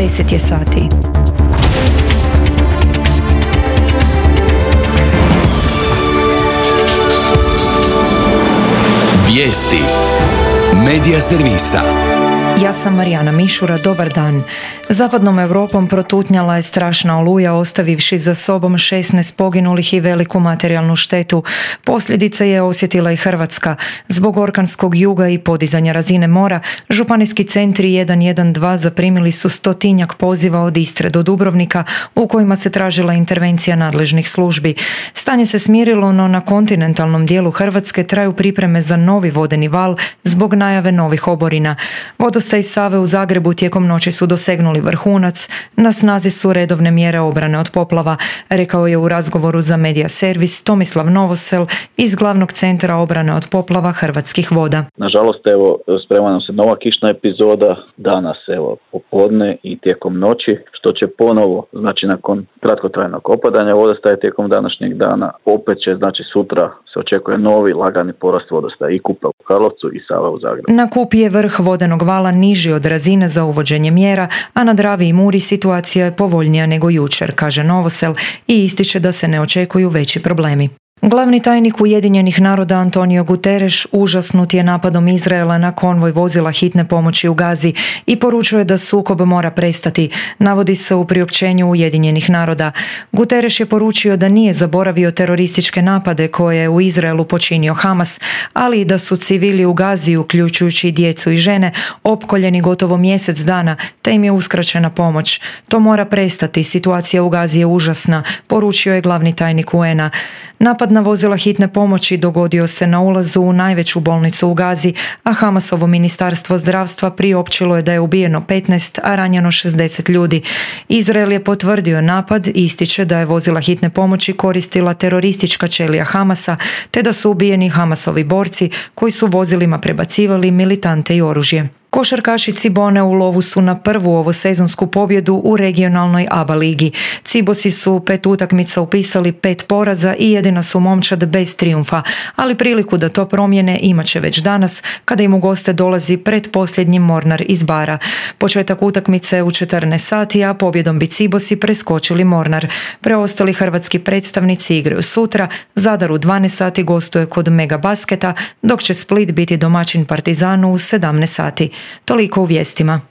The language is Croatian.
10 je sati. Vijesti Medija servisa. Ja sam Marijana Mišura, dobar dan. Zapadnom Europom protutnjala je strašna oluja, ostavivši za sobom 16 poginulih i veliku materijalnu štetu. Posljedice je osjetila i Hrvatska. Zbog orkanskog juga i podizanja razine mora, županijski centri 112 zaprimili su 100-tinjak poziva od Istre do Dubrovnika u kojima se tražila intervencija nadležnih službi. Stanje se smirilo, no na kontinentalnom dijelu Hrvatske traju pripreme za novi vodeni val zbog najave novih oborina. Vodostaji Save u Zagrebu tijekom noći su dosegnuli vrhunac, na snazi su redovne mjere obrane od poplava, rekao je u razgovoru za Medija servis Tomislav Novosel iz Glavnog centra obrane od poplava Hrvatskih voda. Nažalost, sprema nam se nova kišna epizoda, danas popodne i tijekom noći, što će ponovo, nakon kratkotrajnog opadanja vodostaja tijekom današnjeg dana, opet će, sutra se očekuje novi lagani porast vodostaja i Kupe u Karlovcu i Save u Zagrebu. Na Kupi je vrh vodenog vala niži od razine za uvođenje mjera, a na Dravi i Muri situacija je povoljnija nego jučer, kaže Novosel i ističe da se ne očekuju veći problemi. Glavni tajnik Ujedinjenih naroda Antonio Guterres užasnut je napadom Izraela na konvoj vozila hitne pomoći u Gazi i poručuje da sukob mora prestati, navodi se u priopćenju Ujedinjenih naroda. Guterres je poručio da nije zaboravio terorističke napade koje je u Izraelu počinio Hamas, ali i da su civili u Gazi, uključujući djecu i žene, opkoljeni gotovo mjesec dana, te im je uskraćena pomoć. To mora prestati, situacija u Gazi je užasna, poručio je glavni tajnik UN-a. Napad na vozila hitne pomoći dogodio se na ulazu u najveću bolnicu u Gazi, a Hamasovo ministarstvo zdravstva priopćilo je da je ubijeno 15, a ranjeno 60 ljudi. Izrael je potvrdio napad i ističe da je vozila hitne pomoći koristila teroristička ćelija Hamasa, te da su ubijeni Hamasovi borci koji su vozilima prebacivali militante i oružje. Košarkaši Cibone u lovu su na prvu ovosezonsku pobjedu u regionalnoj ABA ligi. Cibosi su u 5 utakmica upisali 5 poraza i jedina su momčad bez trijumfa, ali priliku da to promijene imat će već danas kada im u goste dolazi pretposljednji Mornar iz Bara. Početak utakmice je u 14 sati, a pobjedom bi Cibosi preskočili Mornar. Preostali hrvatski predstavnici igraju sutra, Zadar u 12 sati gostuje kod Mega Basketa, dok će Split biti domaćin Partizanu u 17 sati. Toliko u vijestima.